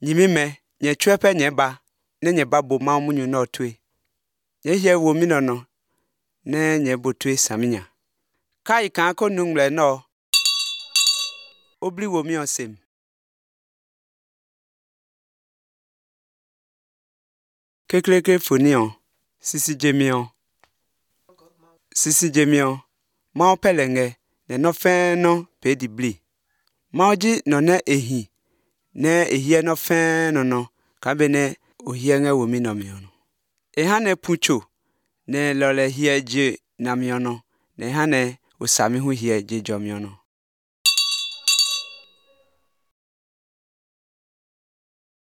Nyimime nye chuepe nye ba ne nye ba bo ma munyu no tue. Nye hie wo mi no ne nye bo tue saminya. Kai kan ko nungle no. Obli wo mi osem. Kekleke fonion. Sisi jemion. Sisi jemion. Ma opelenge ne no fen no pe di bli. Ma oji no ne ehi. Ne ehie no fen no ka be ne ohie nge wo mi no mi ono. Ehane pucho ne lole hie je na mi ono. Ne hane osami hu hie je jo mi ono.